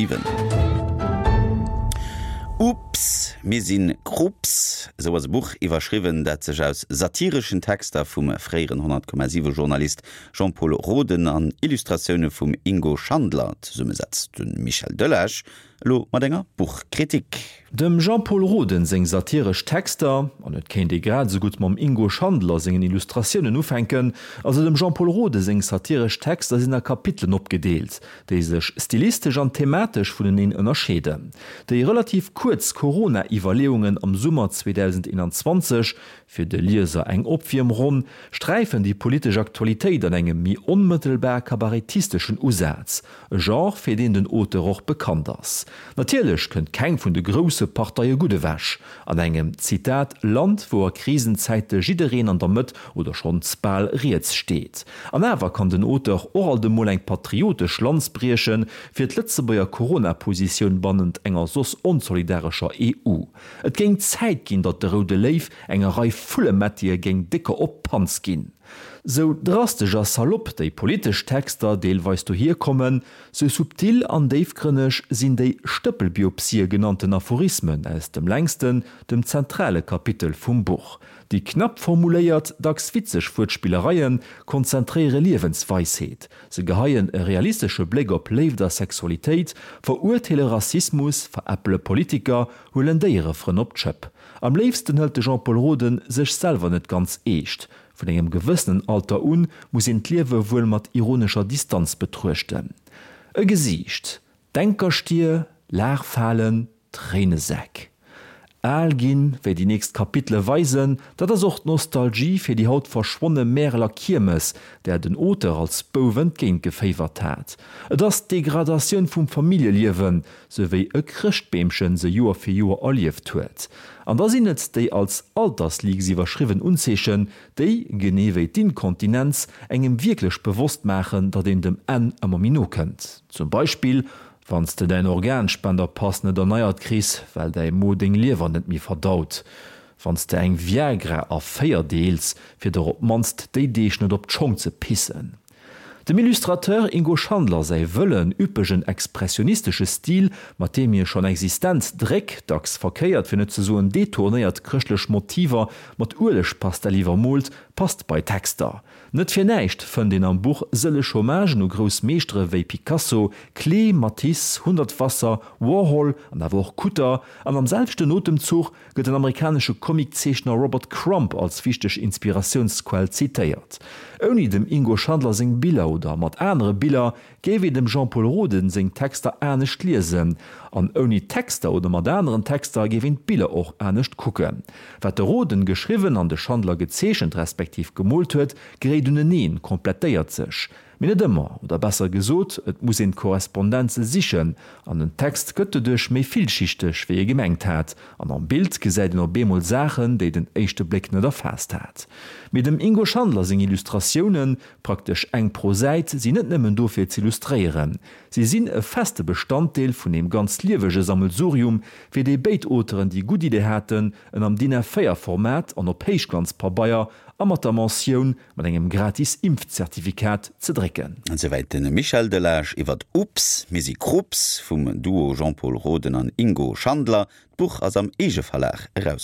Iwwen. Ups, mir si Krupps, esou ass e Buch iwwerschriwwen, dat sech aus satireschen Texter vum fréieren 100,7 Journalist Jean-Pol Roden an Illustratioune vum Ingo Schandler zesummesetzt. De Michel Delage elo mat enger Buchkritik. Dem Jean-Pol Roden seng satiresch Texter, an et kéint ee grad esou gutt mam Ingo Schandler sengen Illustratiounen ufänken, also dem Jean-Pol Rode seng satiresch Texter sinn a Kapitelen opgedeelt, déi sech stilistesch an thematesch vuneneen ënnerscheeden. Déi relativ kuerz Corona-Iwwerleeungen am Summer 2021, fir de Lieser eng Opwiermronn, sträifen déi politesch Aktualitéit an engem méi onmëttelbar kabarettisteschen Usaz, E Genre, fir deen den Auteur och bekannt ass. Natierlech kënnt keng vun de grousse Parteie gutt ewech. An engem, Zitat, Land, wou a Krisenzäite jiddereen an der Mëtt oder schonns bal riets steet. An awer kann den Auteur och alt emol eng patriotesch Lanz brieche fir d'Lëtzebuerger Corona-Positioun bannent enger soss onsolidarescher EU. Et géing Zäit ginn, datt de Roude Léiw enger Rei Vullemättië géing décker op d'Panz ginn. Sou drastesch a salopp déi politesch Texter deelweis dohier kommen, sou subtil an déifgrënneg sinn déi Stëppelbiopsië genannten Aphorismen aus dem längsten, dem zentrale Kapitel vum Buch. Déi knapp formuléiert, dacks witzeg Wuertspillereie konzentréiere Liewensweisheet. Se geheien e realistesche Bléck op Léift a Sexualitéit, verurteele Rassismus, veräppele Politiker, huelen Déierefrënn op d'Schëpp. Am léifsten hëlt de Jean-Pol Roden sech selwer net ganz eescht. Vun engem gewëssenen Alter un muss een d'Liewe wuel mat ironescher Distanz betruechten. E Gesiicht, Denkerstier, Laachfalen, Tréinesäck. Al ginn, wéi déi nächst Kapitele weisen, dat ass och d'Nostalgie fir déi haut verschwonne Märeler Kiermes, där den Auteur als Bouf entgéintgeféiwert hat. Et ass d'Degradatioun vum Familljeliewen, sou wéi e Chrëschtbeemchen se Joer fir Joer erlieft huet. An da sinn et déi als Altersleaks iwwerschriwwen Unzeechen, déi, genee wéi d'Inkontinenz, engem wierklech bewosst maachen, datt een dem Enn ëmmer méi no kënnt. Zum Beispill, wann s de däin Organspenderpass net erneiert kriss, well däi Mo deng Liewer net méi verdaut. Wann s de eng Viagra a 4 deels, fir der op d'mannst déi Deeg net op d'Schong ze pissen. Dem Illustrateur Ingo Schandler säi wëllen, üppegen, expressionistesche Stil, mat deem hie schonn existent Dréck, dacks verkéiert, fir net ze soen detournéiert chrëschtlech Motiver mat Uelegpastell iwwermoolt, passt bei Texter. Net fir näischt fënnt een am Buch sëlleg Hommagen u grouss Meeschtere wéi Picasso, Klee, Matisse, Hundertwasser, Warhol an awer och Kutter, an am selwechten Otemzuch gëtt den amerikanesche Comiczeechner Robert Crumb als wichteg Inspiratiounsquell zitéiert. Ouni dem Ingo Schandler seng Biller oder mat anere Biller géif een dem Jean-Pol Roden seng Texter anescht liesen. An ouni d'Texter oder mat aneren Texter géif een d'Biller och anescht kucken. Wat de Roden geschriwwen an de Schandler gezeechent respektiv gemoolt huet, geréit uneneen, komplettéiert sech. Mee net ëmmer, oder besser gesot, et muss een d'Korrespondenze sichen, an den Text gëtt doduerch méi villschichteg, wéi ee gemengt hat, an am Bild gesäit een op eemol Saachen, déi den éischte Bléck net erfaasst hat. Mee dem Ingo Schandler seng Illustratiounen, praktesch eng pro Säit, sinn net nëmmen do fir z'illustréieren. Si sinn e feste Bestanddeel vun deem ganz liewege Sammelsurium, fir dee béid Auteuren déi gutt Idee haten, en am DIN A4 Format an op Héichglanzpabeier a mat der Mentioun mat engem gratis Impfzertifikat ze drécken. Esouwäit de Michel Delage iwwert Ups, mir si Krupps vum Duo Jean-Pol Roden an Ingo Schandler. D'Buch ass am Eegeverlag erauskomm.